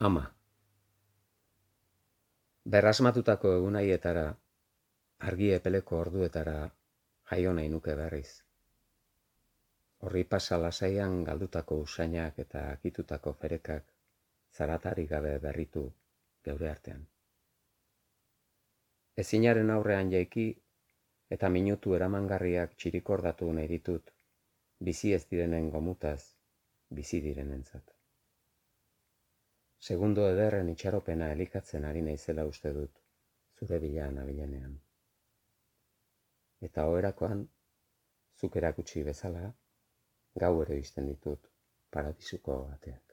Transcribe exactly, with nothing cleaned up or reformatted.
Ama. Berrasmatutako egunaietara, argi epeleko orduetara jaio nahi nuke berriz. Horri pasa lasaian galdutako usainak eta akitutako ferekak zaratarik gabe berritu geure artean. Ezinaren aurrean jaiki eta minutu eramangarriak txirikordatu nahi ditut, bizi ez direnen gomutaz, bizi direnentzat. Segundo ederren itxaropena elikatzen ari naizela uste dut, zure bila nabilenean. Eta oherakoan, zuk erakutsi bezala, gauero izten ditut paradisuko ateak.